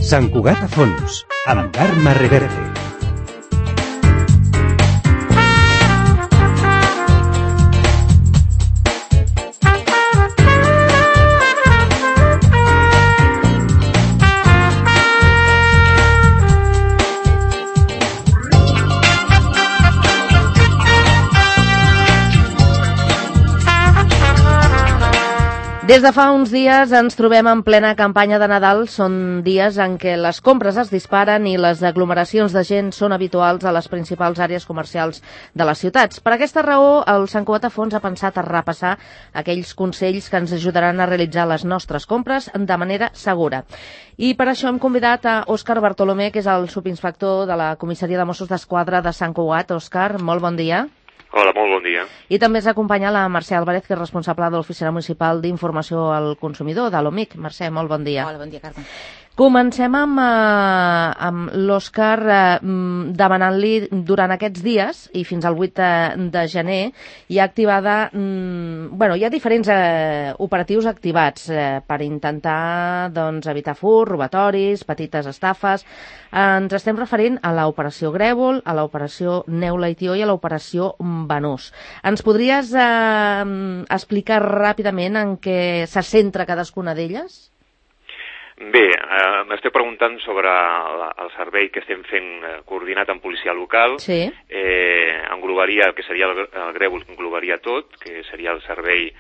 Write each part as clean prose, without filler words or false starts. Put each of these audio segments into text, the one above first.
Sant Cugat a fons, amb Carme Reverte. Des de fa uns dies ens trobem en plena campanya de Nadal. Són dies en què les compres es disparen i les aglomeracions de gent són habituals a les principals àrees comercials de les ciutats. Per aquesta raó, el Sant Cugat a fons ha pensat a repassar aquells consells que ens ajudaran a realitzar les nostres compres de manera segura. I per això hem convidat a Òscar Bartolomé, que és el subinspector de la Comissaria de Mossos d'Esquadra de Sant Cugat. Òscar, molt bon dia. Hola, molt bon dia. I també ens acompanya la Mercè Álvarez, que és responsable de l'Oficina Municipal d'Informació al Consumidor, de l'OMIC. Mercè, molt bon dia. Hola, bon dia, Carme. Comencem amb l'Òscar demanant-li durant aquests dies i fins al 8 de gener hi ha activada, hi ha diferents operatius activats per intentar evitar furs, robatoris, petites estafes. Ens estem referint a l'operació Grèvol, a l'operació Neula i Tió i a l'operació Banús. Ens podries explicar ràpidament en què se centra cadascuna d'elles? Bé, m'esteu preguntant sobre el servei que estem fent coordinat amb policia local. Sí. Englobaria, el que seria el Grèvol, englobaria tot, que seria el servei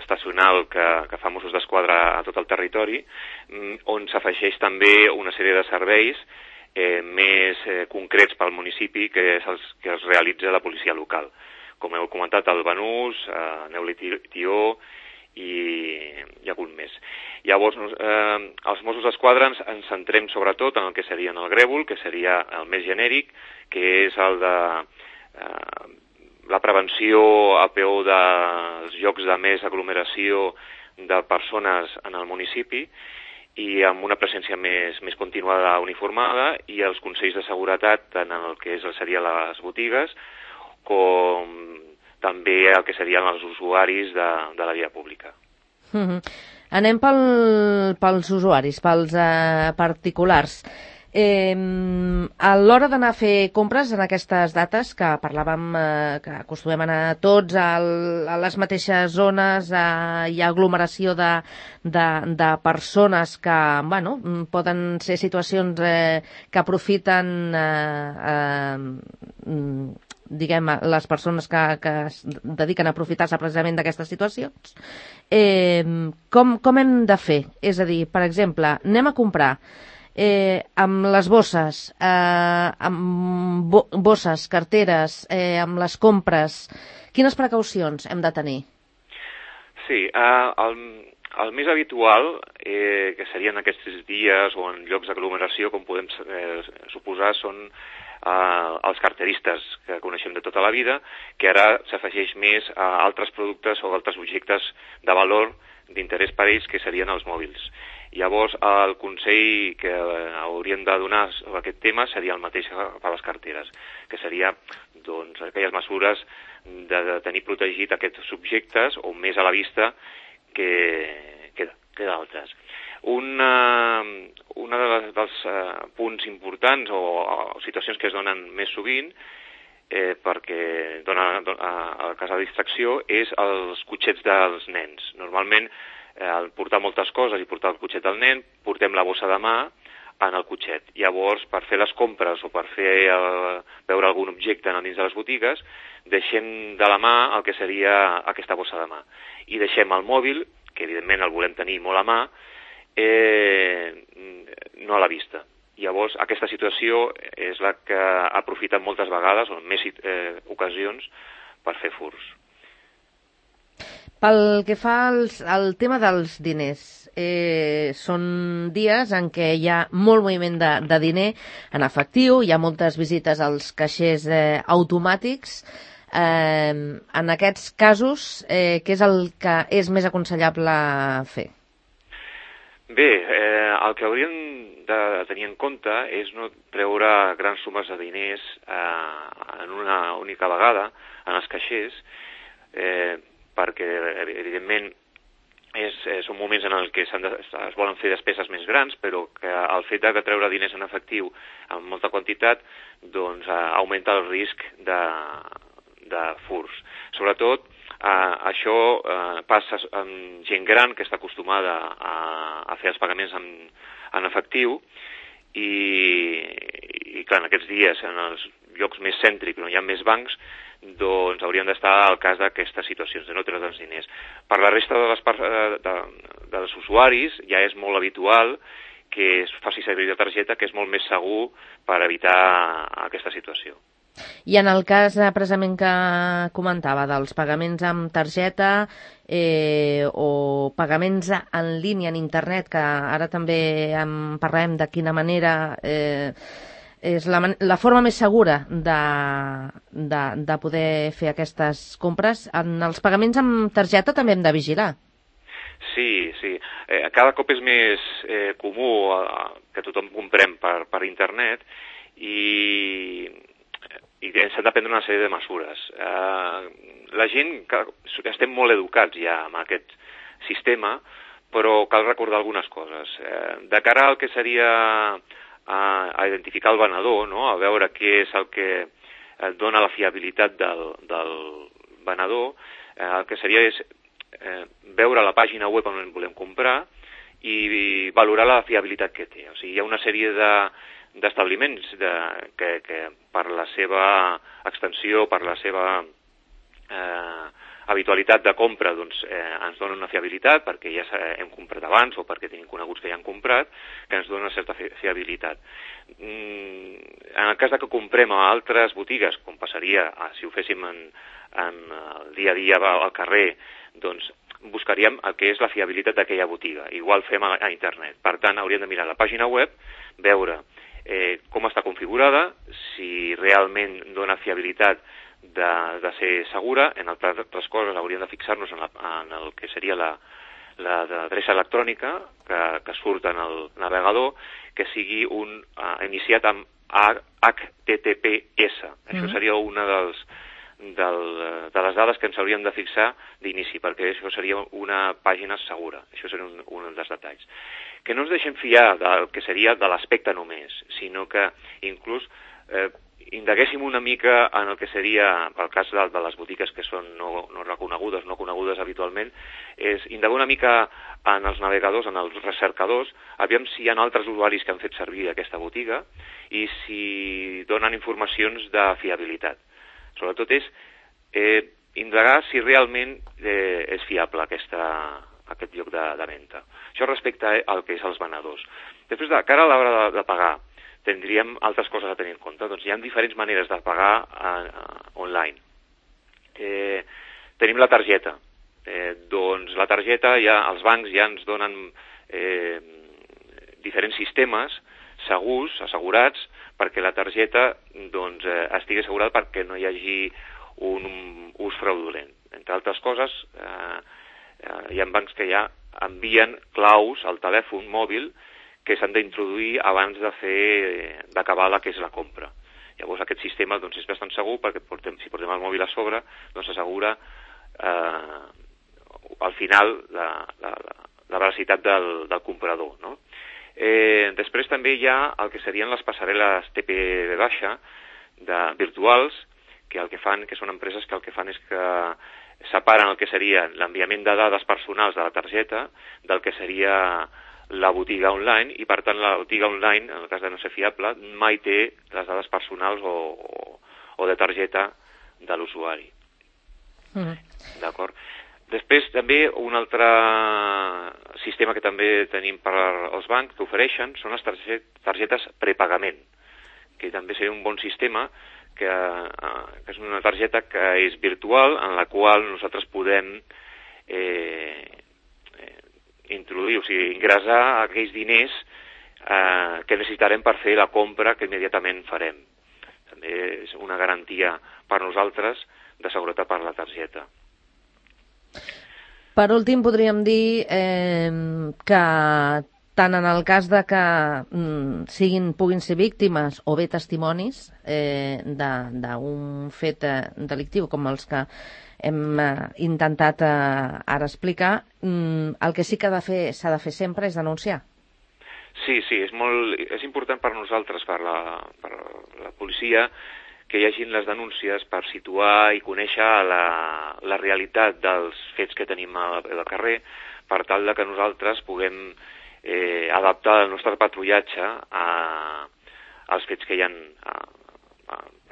estacional que fa Mossos d'Esquadra a tot el territori, on s'afegeix també una sèrie de serveis més concrets pel municipi que es realitza la policia local. Com heu comentat, el Banús, Neula i Tió i algun més. Llavors, els Mossos d'Esquadra ens centrem sobretot en el que seria el Grèvol, que seria el més genèric, que és el de la prevenció a peu dels llocs de més aglomeració de persones en el municipi i amb una presència més continuada uniformada, i els consells de seguretat tant en el que serien les botigues com també el que serien els usuaris de la via pública. Anem pels usuaris, pels particulars. A l'hora d'anar a fer compres en aquestes dates, que parlàvem que acostumem a anar tots a les mateixes zones, hi ha aglomeració de persones que, poden ser situacions que aprofiten les persones que es dediquen a aprofitar-se precisament d'aquestes situacions. Com hem de fer? És a dir, per exemple, anem a comprar amb les bosses, carteres, amb les compres. Quines precaucions hem de tenir? Sí, el més habitual, que serien aquests dies o en llocs d'aglomeració, com podem suposar, són els carteristes que coneixem de tota la vida, que ara s'afegeix més a altres productes o altres objectes de valor d'interès per ells, que serien els mòbils. Llavors, el consell que haurien de donar sobre aquest tema seria el mateix per les carteres, que seria aquelles mesures de tenir protegit aquests subjectes o més a la vista que d'altres. Un dels punts importants o situacions que es donen més sovint perquè dona el cas de distracció és els cotxets dels nens. Normalment, al portar moltes coses i portar el cotxet del nen, portem la bossa de mà en el cotxet. Llavors, per fer les compres o per veure algun objecte dins de les botigues, deixem de la mà el que seria aquesta bossa de mà. I deixem el mòbil, que evidentment el volem tenir molt a mà, no a la vista. Llavors, aquesta situació és la que aprofiten moltes vegades, o en més ocasions, per fer furs. Pel que fa al tema dels diners, són dies en què hi ha molt moviment de diner en efectiu, hi ha moltes visites als caixers automàtics. En aquests casos, què és el que és més aconsellable fer? Bé, el que hauríem de tenir en compte és no treure grans sumes de diners en una única vegada en els caixers, perquè evidentment són moments en els que es volen fer despeses més grans, però que el fet de treure diners en efectiu en molta quantitat doncs augmenta el risc de furs. Sobretot, això passa amb gent gran que està acostumada a fer els pagaments en efectiu i clar, en aquests dies, en els llocs més cèntrics on hi ha més bancs, doncs haurien d'estar al cas d'aquestes situacions, de no treure els diners. Per la resta dels usuaris ja és molt habitual que es faci servir la targeta, que és molt més segur per evitar aquesta situació. I en el cas precisament que comentava dels pagaments amb targeta o pagaments en línia en internet, que ara també en parlem de quina manera és la forma més segura de poder fer aquestes compres. En els pagaments amb targeta també hem de vigilar. Sí. Cada cop és més comú que tothom comprem per internet i s'han de prendre una sèrie de mesures. La gent, estem molt educats ja amb aquest sistema, però cal recordar algunes coses. De cara al que seria a identificar el venedor, no? A veure què és el que dona la fiabilitat del venedor, el que seria és veure la pàgina web on volem comprar i valorar la fiabilitat que té. O sigui, hi ha una sèrie d'establiments que per la seva extensió, per la seva habitualitat de compra, doncs ens donen una fiabilitat perquè ja hem comprat abans o perquè tenim coneguts que ja han comprat, que ens donen una certa fiabilitat. En el cas de que comprem a altres botigues, com passaria si ho féssim en el dia a dia al carrer, doncs buscaríem el que és la fiabilitat d'aquella botiga. Igual fem a internet. Per tant, hauríem de mirar la pàgina web, veure com està configurada, si realment dona fiabilitat de ser segura. En altres coses hauríem de fixar-nos en el que seria l'adreça electrònica que surt en el navegador, que sigui iniciat amb HTTPS. Això seria una de les dades que ens hauríem de fixar d'inici, perquè això seria una pàgina segura. Això seria un dels detalls. Que no ens deixem fiar del que seria de l'aspecte només, sinó que inclús indaguéssim una mica en el que seria, pel cas de les botigues que són no reconegudes, no conegudes habitualment, és indagar una mica en els navegadors, en els recercadors, aviam si hi ha altres usuaris que han fet servir aquesta botiga i si donen informacions de fiabilitat. Sobretot és indagar si realment és fiable aquest lloc de venda. Això respecte al que és els venedors. Després, de cara a l'hora de pagar, tindríem altres coses a tenir en compte. Doncs hi ha diferents maneres de pagar online. Tenim la targeta. Doncs la targeta, els bancs ja ens donen diferents sistemes segurs, assegurats, perquè la targeta doncs, estigui assegurada perquè no hi hagi un ús fraudulent. Entre altres coses, hi ha bancs que ja envien claus al telèfon mòbil que s'han d'introduir abans d'acabar la que és la compra. Llavors aquest sistema doncs, és bastant segur perquè si portem el mòbil a sobre doncs s'assegura al final la veracitat del comprador, no? Després també hi ha el que serien les passarel·les TPV virtuals, que són empreses que el que fan és que separen el que seria l'enviament de dades personals de la targeta del que seria la botiga online, i per tant la botiga online, en el cas de no ser fiable, mai té les dades personals o de targeta de l'usuari. D'acord? Després també un altre sistema que també tenim per als bancs que ofereixen són les targetes prepagament, que també seria un bon sistema, que és una targeta que és virtual, en la qual nosaltres podem introduir, o sigui, ingressar aquells diners que necessitarem per fer la compra que immediatament farem. També és una garantia per nosaltres de seguretat per la targeta. Per últim, podríem dir que tant en el cas de que puguin ser víctimes o bé testimonis d'un fet delictiu com els que hem intentat ara explicar, el que sí que s'ha de fer sempre és denunciar. Sí, és important per nosaltres, per la policia, que hi hagin les denúncies per situar i conèixer la realitat dels fets que tenim al carrer, per tal de que nosaltres puguem adaptar el nostre patrullatge als fets que hi ha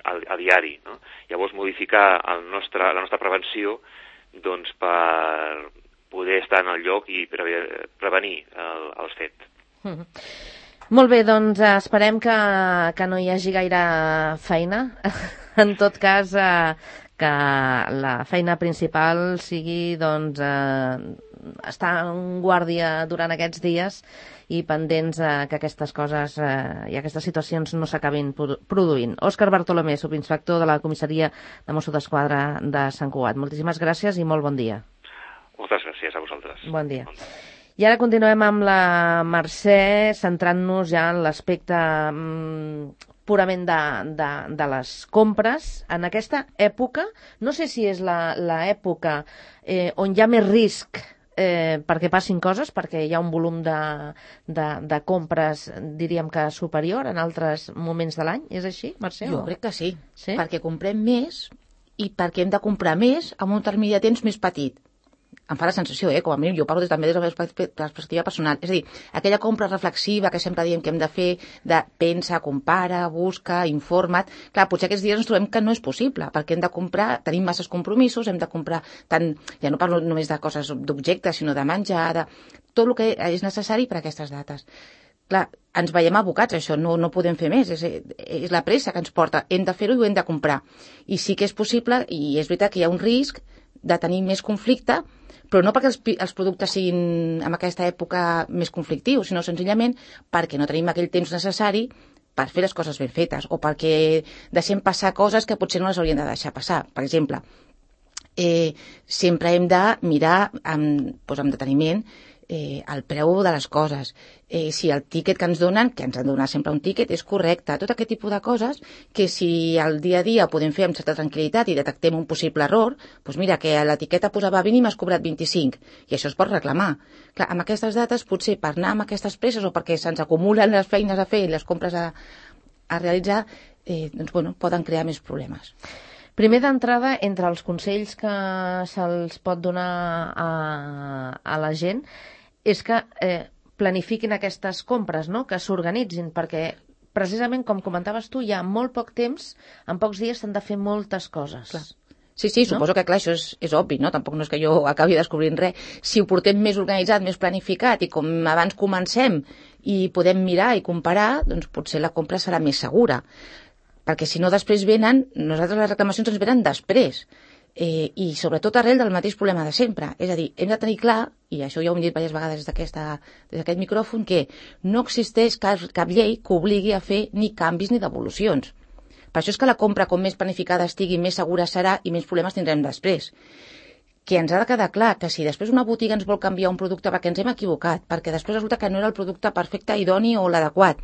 a diari, no? Llavors modificar la nostra prevenció doncs, per poder estar en el lloc i prevenir els fets. Molt bé, doncs esperem que no hi hagi gaire feina. En tot cas, que la feina principal sigui doncs, estar en guàrdia durant aquests dies i pendents que aquestes coses i aquestes situacions no s'acabin produint. Òscar Bartolomé, subinspector de la comissaria de Mossos d'Esquadra de Sant Cugat. Moltíssimes gràcies i molt bon dia. Moltes gràcies a vosaltres. Bon dia. I ara continuem amb la Mercè, centrant-nos ja en l'aspecte purament de les compres. En aquesta època, no sé si és l'època on hi ha més risc perquè passin coses, perquè hi ha un volum de compres, diríem que superior en altres moments de l'any, és així, Mercè? Jo crec que sí, perquè comprem més i perquè hem de comprar més amb un termini de temps més petit. Em fa la sensació, com a mínim, jo parlo també des de la perspectiva personal. És a dir, aquella compra reflexiva que sempre diem que hem de fer, de pensa, compara, busca, informa't. Clar, potser aquests dies ens trobem que no és possible, perquè hem de comprar, tenim masses compromisos, hem de comprar tant, ja no parlo només de coses d'objectes, sinó de menjar, de tot el que és necessari per a aquestes dates. Clar, ens veiem abocats a això, no podem fer més, és la pressa que ens porta, hem de fer-ho i ho hem de comprar. I sí que és possible, i és veritat que hi ha un risc de tenir més conflicte, però no perquè els productes siguin en aquesta època més conflictius, sinó senzillament perquè no tenim aquell temps necessari per fer les coses ben fetes, o perquè deixem passar coses que potser no les haurien de deixar passar. Per exemple, sempre hem de mirar amb deteniment el preu de les coses. Si el tíquet que ens donen, que ens han de donar sempre un tíquet, és correcte. Tot aquest tipus de coses que si al dia a dia podem fer amb certa tranquil·litat i detectem un possible error, doncs mira, que l'etiqueta posava 20 i m'has cobrat 25, i això es pot reclamar. Clar, amb aquestes dates, potser per anar amb aquestes presses o perquè se'ns acumulen les feines a fer i les compres a realitzar, poden crear més problemes. Primer d'entrada, entre els consells que se'ls pot donar a la gent, és que planifiquin aquestes compres, no? Que s'organitzin, perquè precisament, com comentaves tu, hi ha molt poc temps, en pocs dies s'han de fer moltes coses. Clar. Sí, suposo que clar, això és obvi, no? Tampoc no és que jo acabi descobrint res. Si ho portem més organitzat, més planificat, i com abans comencem i podem mirar i comparar, doncs potser la compra serà més segura. Perquè si no després nosaltres les reclamacions ens venen després. I sobretot arrel del mateix problema de sempre. És a dir, hem de tenir clar, i això ja ho hem dit diverses vegades des d'aquest micròfon, que no existeix cap llei que obligui a fer ni canvis ni devolucions. Per això és que la compra, com més planificada estigui, més segura serà i menys problemes tindrem després. Que ens ha de quedar clar que si després una botiga ens vol canviar un producte perquè ens hem equivocat, perquè després resulta que no era el producte perfecte, idoni o l'adequat,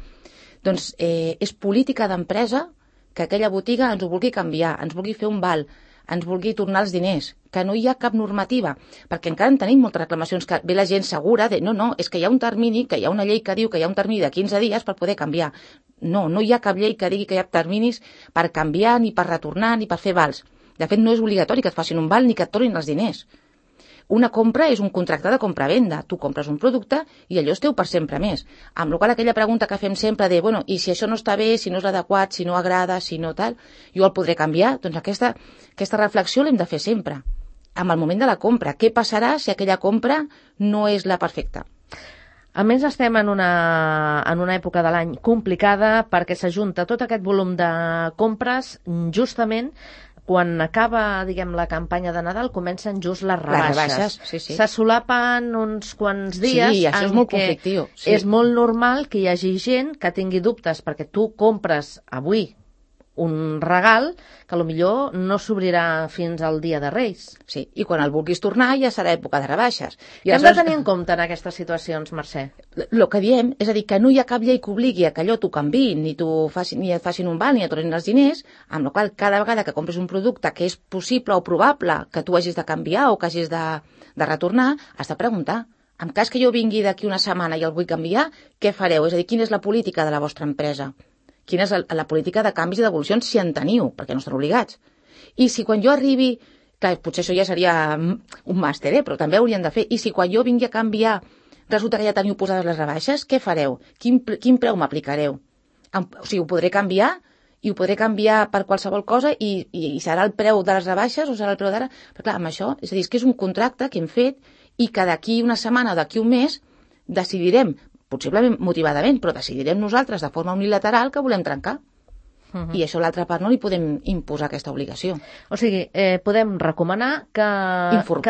doncs és política d'empresa que aquella botiga ens ho vulgui canviar, ens vulgui fer un val, ens vulgui tornar els diners, que no hi ha cap normativa, perquè encara en tenim moltes reclamacions que ve la gent segura de no, és que hi ha un termini, que hi ha una llei que diu que hi ha un termini de 15 dies per poder canviar. No hi ha cap llei que digui que hi ha terminis per canviar, ni per retornar, ni per fer vals. De fet, no és obligatori que et facin un val ni que et tornin els diners. Una compra és un contracte de compra-venda. Tu compres un producte i allò és teu per sempre més. Amb la qual aquella pregunta que fem sempre de, i si això no està bé, si no és adequat, si no agrada, si no tal, jo el podré canviar? Doncs aquesta reflexió l'hem de fer sempre. Amb el moment de la compra. Què passarà si aquella compra no és la perfecta? A més, estem en una època de l'any complicada perquè s'ajunta tot aquest volum de compres justament quan acaba, diguem, la campanya de Nadal, comencen just les rebaixes. Sí. Se solapen uns quants dies. Sí, això és molt conflictiu. Sí. És molt normal que hi hagi gent que tingui dubtes, perquè tu compres avui un regal que potser no s'obrirà fins al dia de Reis. Sí, i quan el vulguis tornar ja serà època de rebaixes. Què hem de tenir en compte en aquestes situacions, Mercè? El que diem és a dir que no hi ha cap llei que obligui a que allò t'ho canviïn, ni et facin un val, ni et tornin els diners, amb la qual cada vegada que compres un producte que és possible o probable que tu hagis de canviar o que hagis de retornar, has de preguntar. En cas que jo vingui d'aquí una setmana i el vull canviar, què fareu? És a dir, quina és la política de la vostra empresa? Quina és la política de canvis i devolucions, si en teniu, perquè no estan obligats. I si quan jo arribi, clar, potser això ja seria un màster, però també haurien de fer, i si quan jo vingui a canviar resulta que ja teniu posades les rebaixes, què fareu? Quin preu m'aplicareu? O sigui, ho podré canviar i ho podré canviar per qualsevol cosa i serà el preu de les rebaixes o serà el preu d'ara? Però clar, amb això, és a dir, és que és un contracte que hem fet i que d'aquí una setmana o d'aquí un mes decidirem, possiblement motivadament, però decidirem nosaltres de forma unilateral que volem trencar. I això a l'altra part no li podem imposar aquesta obligació. O sigui, podem recomanar que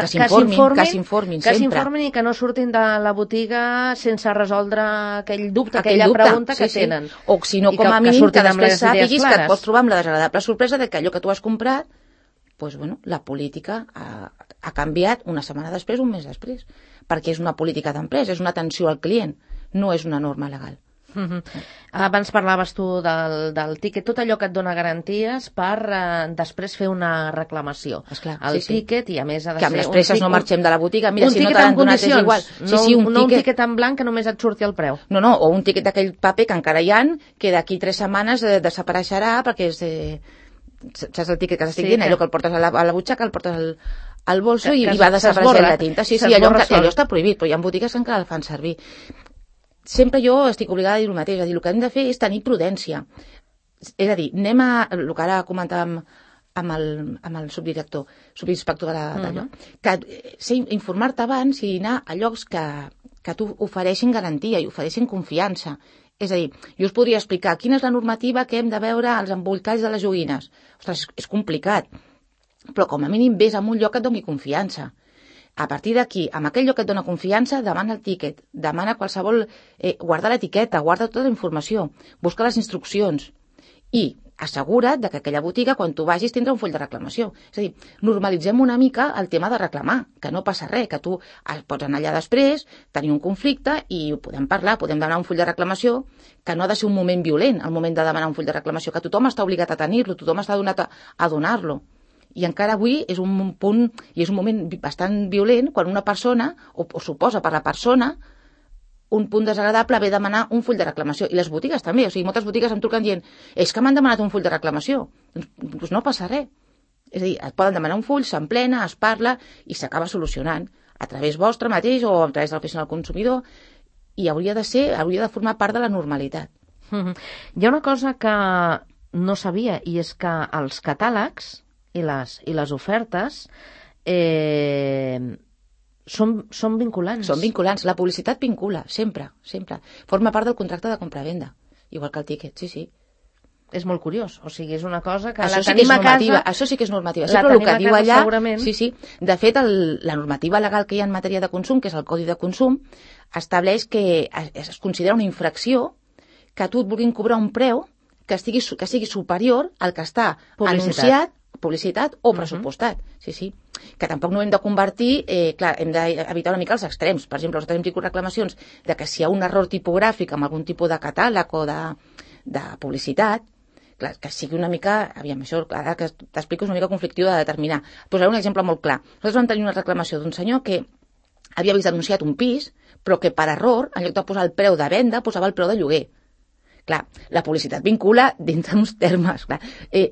s'informin i que no surtin de la botiga sense resoldre aquell dubte, aquella pregunta que tenen. O si no, com a mínim, que després sàpiguis que et pots trobar amb la desagradable sorpresa de que allò que tu has comprat, doncs, bueno, la política ha canviat una setmana després, un mes després, perquè és una política d'empresa, és una atenció al client, no és una norma legal. Abans parlaves tu del tíquet, tot allò que et dona garanties per després fer una reclamació. Esclar, el tíquet, i a més ha de ser... Que amb les presses no marxem de la botiga, mira, si no t'han donat és igual. No un tíquet en blanc que només et surti el preu. No, o un tíquet d'aquell paper que encara hi ha, que d'aquí 3 setmanes desapareixerà perquè és... saps el tíquet que t'estic dient? Allò que el portes a la butxaca, el portes al bolso i va desapareixent la tinta. Sí, allò està prohibit, però hi ha botigues que encara el fan servir. Sempre jo estic obligada a dir el mateix, el que hem de fer és tenir prudència. És a dir, anem a el que ara comentàvem amb el subinspector d'allò, que informar-te abans i anar a llocs que t'ho ofereixin garantia i ofereixin confiança. És a dir, jo us podria explicar quina és la normativa que hem de veure als embolcalls de les joguines. Ostres, és complicat, però com a mínim vés a un lloc que et doni confiança. A partir d'aquí, amb aquell lloc que et dona confiança, demana el tíquet, demana qualsevol... guarda l'etiqueta, guarda tota la informació, busca les instruccions i assegura't que aquella botiga, quan tu vagis, tindrà un full de reclamació. És a dir, normalitzem una mica el tema de reclamar, que no passa res, que tu pots anar allà després, tenir un conflicte i ho podem parlar, podem demanar un full de reclamació, que no ha de ser un moment violent, el moment de demanar un full de reclamació, que tothom està obligat a tenir-lo, tothom està donat a donar-lo. I encara avui és un punt i és un moment bastant violent quan una persona, o suposa per la persona, un punt desagradable haver de demanar un full de reclamació. I les botigues també, o sigui, moltes botigues em truquen dient és que m'han demanat un full de reclamació. Doncs no passa res. És a dir, et poden demanar un full, s'emplena, es parla i s'acaba solucionant a través vostre mateix o a través de l'oficina del consumidor, i hauria de formar part de la normalitat. Hi ha una cosa que no sabia, i és que els catàlegs i les ofertes són vinculants. Són vinculants. La publicitat vincula, sempre. Forma part del contracte de compra-venda, igual que el tíquet, sí. És molt curiós, o sigui, és una cosa que això la tenim a casa... Això sí que és normativa. Sempre el que diu allà... Segurament. Sí. De fet, la normativa legal que hi ha en matèria de consum, que és el Codi de Consum, estableix que es considera una infracció que tu et vulguin cobrar un preu que sigui superior al que està anunciat, publicitat o pressupostat. Sí. Que tampoc no hem de convertir, clar, hem d'evitar una mica els extrems. Per exemple, nosaltres hem tingut reclamacions de que si hi ha un error tipogràfic amb algun tipus de catàleg o de publicitat, clar, que sigui una mica, aviam, això ara que t'explico és una mica conflictiu de determinar. Posaré un exemple molt clar. Nosaltres vam tenir una reclamació d'un senyor que havia vist anunciat un pis, però que per error, en lloc de posar el preu de venda, posava el preu de lloguer. Clar, la publicitat vincula dintre uns termes. Clar.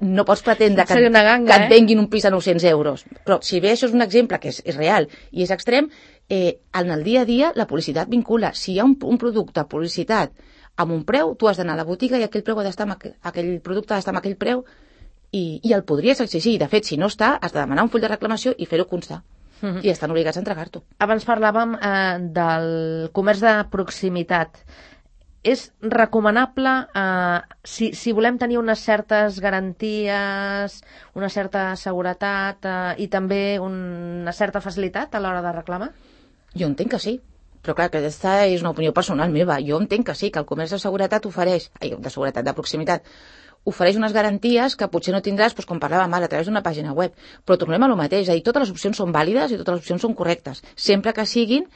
No pots pretendre que et venguin un pis a 900 euros. Però si bé això és un exemple que és real i és extrem, en el dia a dia la publicitat vincula. Si hi ha un producte, publicitat, amb un preu, tu has d'anar a la botiga i aquell producte ha d'estar amb aquell preu i el podries exigir. De fet, si no està, has de demanar un full de reclamació i fer-ho constar. I estan obligats a entregar-t'ho. Abans parlàvem del comerç de proximitat. És recomanable, si volem tenir unes certes garanties, una certa seguretat i també una certa facilitat a l'hora de reclamar? Jo entenc que sí, però clar, aquesta és una opinió personal meva. Jo entenc que sí, que el comerç de seguretat ofereix, de seguretat, de proximitat, ofereix unes garanties que potser no tindràs, doncs, com parlàvem ara, a través d'una pàgina web. Però tornem a lo mateix, és a dir, totes les opcions són vàlides i totes les opcions són correctes, sempre que siguin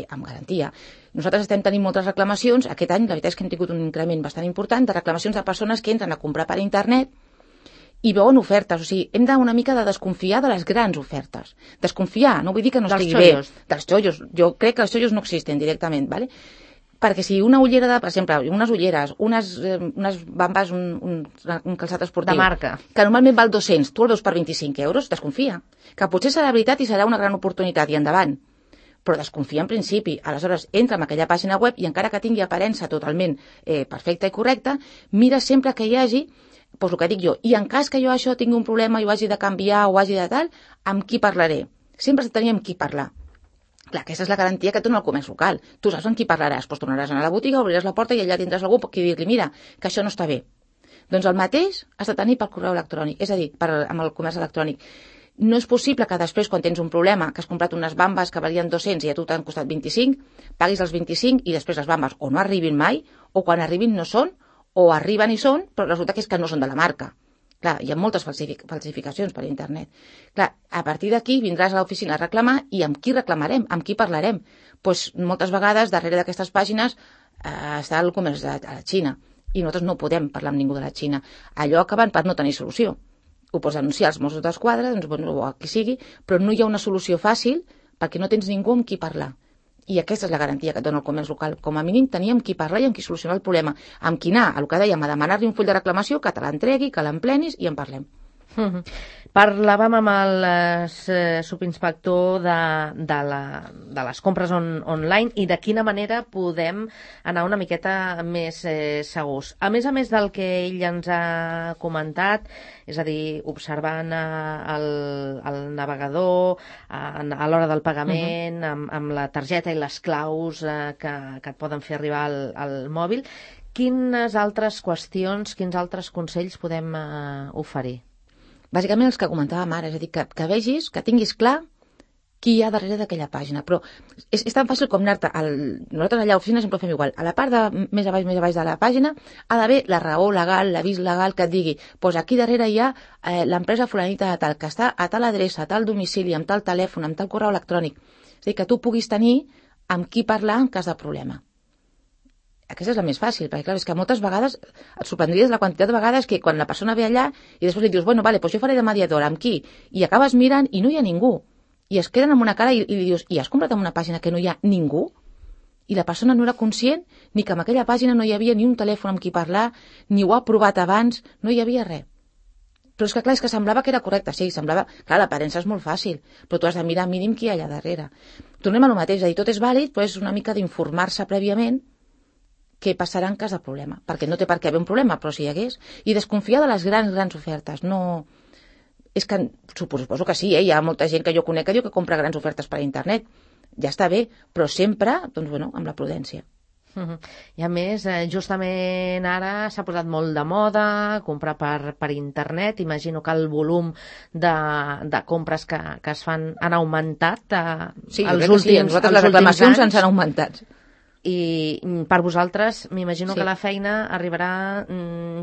amb garantia. Nosaltres estem tenint moltes reclamacions. Aquest any, la veritat és que hem tingut un increment bastant important de reclamacions de persones que entren a comprar per internet i veuen ofertes, o sigui, hem una mica de desconfiar de les grans ofertes. Desconfiar, no vull dir que no estigui bé. Dels xollos. Jo crec que els xollos no existen directament, ¿vale? Perquè si una ullera, per exemple, unes ulleres, unes bambes, un calçat esportiu... De marca. Que normalment val 200, tu el veus per 25 euros, desconfia. Que potser serà veritat i serà una gran oportunitat, i endavant. Però desconfia en principi. Aleshores, entra en aquella pàgina web i encara que tingui aparença totalment perfecta i correcta, mira sempre que hi hagi, doncs el que dic jo, i en cas que jo això tingui un problema i ho hagi de canviar o hagi de tal, amb qui parlaré? Sempre has de tenir amb qui parlar. Clar, aquesta és la garantia que et dona el comerç local. Tu saps amb qui parlaràs, doncs tornaràs a anar a la botiga, obriràs la porta i allà tindràs algú qui dir-li, mira, que això no està bé. Doncs el mateix has de tenir per correu electrònic, és a dir, amb el comerç electrònic. No és possible que després, quan tens un problema, que has comprat unes bambes que valien 200 i a tu t'han costat 25, paguis els 25 i després les bambes o no arribin mai, o quan arribin no són, o arriben i són, però resulta que és que no són de la marca. Clar, hi ha moltes falsificacions per internet. Clar, a partir d'aquí vindràs a l'oficina a reclamar i amb qui reclamarem, amb qui parlarem. Doncs moltes vegades darrere d'aquestes pàgines està el comerç de la Xina i nosaltres no podem parlar amb ningú de la Xina. Allò acaben per no tenir solució. Ho pots denunciar als Mossos d'Esquadra, doncs, bueno, o a qui sigui, però no hi ha una solució fàcil perquè no tens ningú amb qui parlar. I aquesta és la garantia que et dona el comerç local. Com a mínim tenir amb qui parlar i amb qui solucionar el problema. Amb qui anar, el que dèiem, a demanar-li un full de reclamació, que te l'entregui, que l'emplenis i en parlem. Parlàvem amb el subinspector de les compres online i de quina manera podem anar una miqueta més segurs. A més del que ell ens ha comentat, és a dir, observant el navegador a l'hora del pagament, amb la targeta i les claus que et poden fer arribar al mòbil, quines altres qüestions, quins altres consells podem oferir? Bàsicament els que comentàvem ara, és a dir, que vegis, que tinguis clar qui hi ha darrere d'aquella pàgina. Però és tan fàcil com anar-te... Nosaltres allà a l'oficina sempre ho fem igual. A la part de més a baix de la pàgina ha d'haver la raó legal, l'avís legal que et digui doncs aquí darrere hi ha l'empresa fulanita de tal, que està a tal adreça, a tal domicili, amb tal telèfon, amb tal correu electrònic. És a dir, que tu puguis tenir amb qui parlar en cas de problema. Aquesta és la més fàcil, perquè clar, és que moltes vegades et sorprendries la quantitat de vegades que quan la persona ve allà i després li dius, bueno, vale, doncs jo faré de mediadora, amb qui? I acabes mirant i no hi ha ningú. I es queden amb una cara i li dius, i has comprat en una pàgina que no hi ha ningú? I la persona no era conscient ni que en aquella pàgina no hi havia ni un telèfon amb qui parlar, ni ho ha provat abans, no hi havia res. Però és que clar, és que semblava que era correcte, sí, semblava... Clar, l'aparença és molt fàcil, però tu has de mirar mínim qui hi ha allà darrere. Tornem a lo mateix, és a dir, tot és vàlid, però és una mica d'informar-se prèviament què passarà en cas de problema, perquè no té per què haver un problema, però si hi hagués, i desconfiar de les grans ofertes, no... És que suposo que sí, hi ha molta gent que jo conec que diu que compra grans ofertes per internet, ja està bé, però sempre, doncs bueno, amb la prudència. I a més, justament ara s'ha posat molt de moda comprar per internet. Imagino que el volum de compres que es fan han augmentat sí, els últims anys. Nosaltres les reclamacions ens han augmentat. I per vosaltres m'imagino que la feina arribarà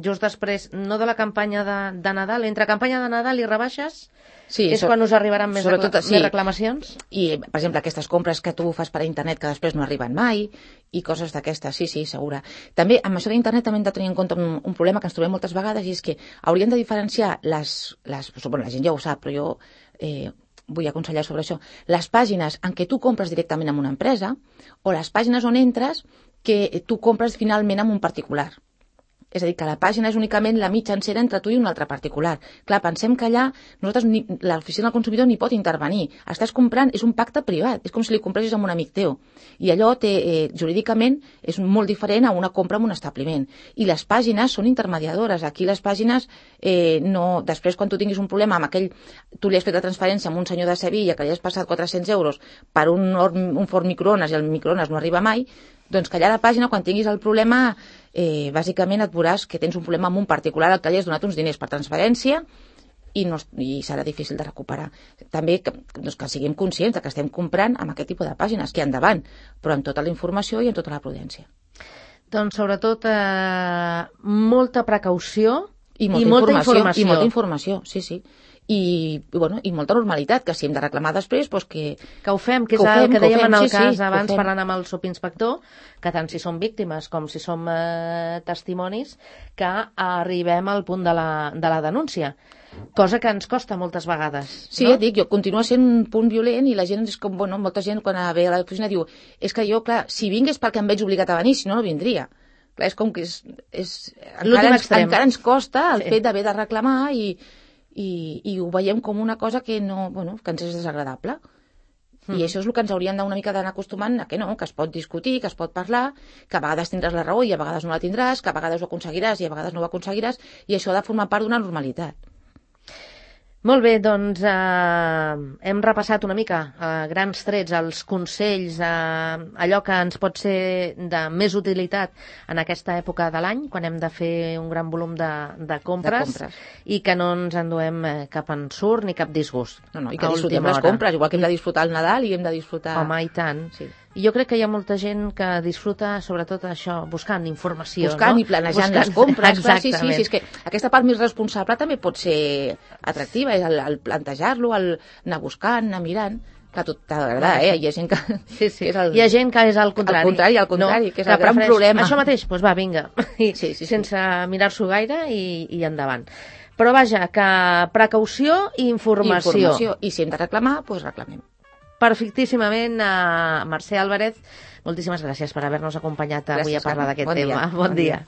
just després, no de la campanya de Nadal, entre campanya de Nadal i rebaixes, és quan us arribaran més reclamacions? I, per exemple, aquestes compres que tu fas per internet que després no arriben mai i coses d'aquestes, sí, segura. També, amb això d'internet també hem de tenir en compte un problema que ens trobem moltes vegades, i és que hauríem de diferenciar la gent ja ho sap, però jo vull aconsellar sobre això, les pàgines en què tu compres directament amb una empresa o les pàgines on entres que tu compres finalment amb un particular. És a dir, que la pàgina és únicament la mitjancera entre tu i un altre particular. Clar, pensem que allà l'oficina del consumidor ni pot intervenir. Estàs comprant, és un pacte privat, és com si li compressis amb un amic teu. I allò jurídicament és molt diferent a una compra en un establiment. I les pàgines són intermediadores. Aquí les pàgines, després quan tu tinguis un problema amb aquell, tu li has fet la transferència amb un senyor de Sevilla que li has passat 400 euros per un forn microones i el microones no arriba mai, doncs que allà a la pàgina, quan tinguis el problema, bàsicament et veuràs que tens un problema amb un particular al que li has donat uns diners per transferència i serà difícil de recuperar. També que siguem conscients que estem comprant amb aquest tipus de pàgines, que endavant, però amb tota la informació i amb tota la prudència. Doncs sobretot molta precaució i molta informació, sí. I molta normalitat, que si hem de reclamar després, doncs que ho fem, que és el que dèiem en el cas abans parlant amb el subinspector, que tant si som víctimes com si som testimonis, que arribem al punt de la denúncia, cosa que ens costa moltes vegades. Sí, ja et dic, continua sent un punt violent i la gent és com, molta gent quan ve a l'oficina diu, és que jo, clar, si vinc és perquè em veig obligat a venir, si no, no vindria. Clar, és com que encara ens costa el fet d'haver de reclamar i ho veiem com una cosa que que ens és desagradable. I això és el que ens hauríem d'una mica d'anar acostumant a que no, que es pot discutir, que es pot parlar, que a vegades tindràs la raó i a vegades no la tindràs, que a vegades ho aconseguiràs i a vegades no ho aconseguiràs, i això ha de formar part d'una normalitat. Molt bé, doncs hem repassat una mica a grans trets els consells, allò que ens pot ser de més utilitat en aquesta època de l'any, quan hem de fer un gran volum de compres i que no ens enduem cap ensurt ni cap disgust. No, i que disfrutem les compres, igual que hem de disfrutar el Nadal i hem de disfrutar... Home, i tant. Sí. I jo crec que hi ha molta gent que disfruta sobretot això, buscant informació. Buscant i planejant les compres. Exactament. Sí, és que aquesta part més responsable també pot ser atractiva, és el plantejar-lo, el anar buscant, anar mirant. Clar, tot t'agrada, Hi ha gent que... Sí. Hi ha gent que és al contrari. Al contrari, que és el gran problema. Això mateix, doncs va, vinga. Sense mirar-s'ho gaire i endavant. Però vaja, que precaució i informació. I si hem de reclamar, doncs reclamem. Perfectíssimament, Mercè Álvarez, moltíssimes gràcies per haver-nos acompanyat avui a parlar d'aquest tema. Bon dia.